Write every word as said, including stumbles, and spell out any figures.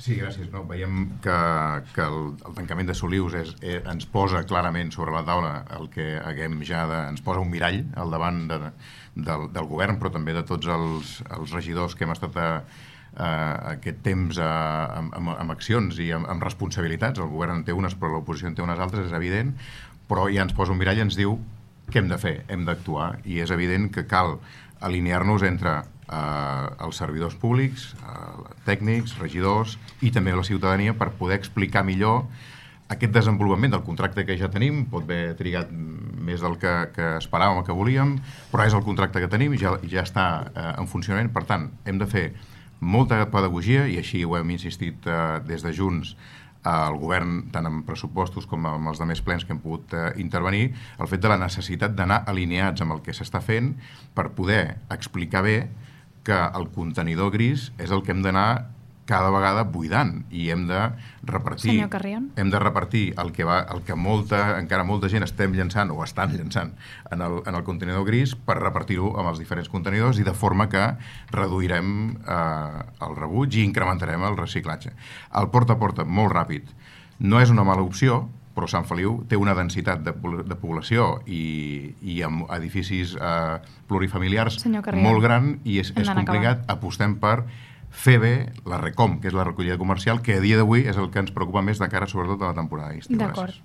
Sí, gràcies. No, veiem que, que el, el tancament de Solius és, eh, ens posa clarament sobre la taula el que haguem ja de, ens posa un mirall al davant de, del, del govern, però també de tots els, els regidors que hem estat a, a aquest temps a, amb, amb accions i amb, amb responsabilitats. El govern en té unes, però l'oposició en té unes altres, és evident, però ja ens posa un mirall i ens diu què hem de fer, hem d'actuar, i és evident que cal alinear-nos entre eh, els servidors públics, eh, tècnics, regidors i també la ciutadania per poder explicar millor aquest desenvolupament del contracte que ja tenim. Pot haver trigat més del que, que esperàvem o que volíem, però és el contracte que tenim i ja, ja està eh, en funcionament. Per tant, hem de fer molta pedagogia, i així ho hem insistit eh, des de Junts al govern, tant en pressupostos com amb els altres plens que hem pogut eh, intervenir, el fet de la necessitat d'anar alineats amb el que s'està fent per poder explicar bé que el contenidor gris és el que hem d'anar cada vegada buidant, i hem de repartir Senyor Carrion. hem de repartir el que, va, el que molta, encara molta gent estem llançant o estan llançant en el, en el contenidor gris, per repartir-ho amb els diferents contenidors, i de forma que reduirem eh, el rebuig i incrementarem el reciclatge. El porta a porta, molt ràpid, no és una mala opció, però Sant Feliu té una densitat de, de població i, i amb edificis eh, plurifamiliars molt gran, i és, és complicat. Apostem per fer bé la RECOM, que és la recollida comercial, que a dia d'avui és el que ens preocupa més de cara sobretot a la temporada d'estiu. D'acord.